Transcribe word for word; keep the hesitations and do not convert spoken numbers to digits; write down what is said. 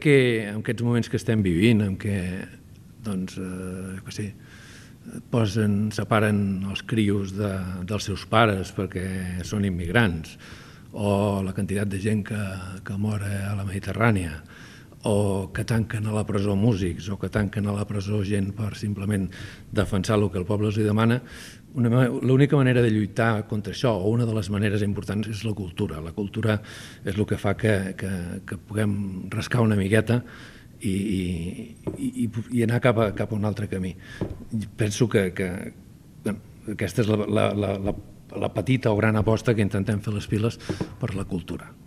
que en aquests moments que estem vivint, en què doncs, eh, que sé, posen, separen els crios de, dels seus pares perquè són immigrants, o la quantitat de gent que, que mor a la Mediterrània, o que tanquen a la presó músics, o que tanquen a la presó gent per simplement defensar el que el poble els demana, l'única manera de lluitar contra això, o una de les maneres importants, és la cultura. La cultura és el que fa que, que, que puguem rascar una miqueta i, i, i anar cap a, cap a un altre camí. Penso que, que bueno, aquesta és la, la, la, la petita o gran aposta que intentem fer les piles per la cultura.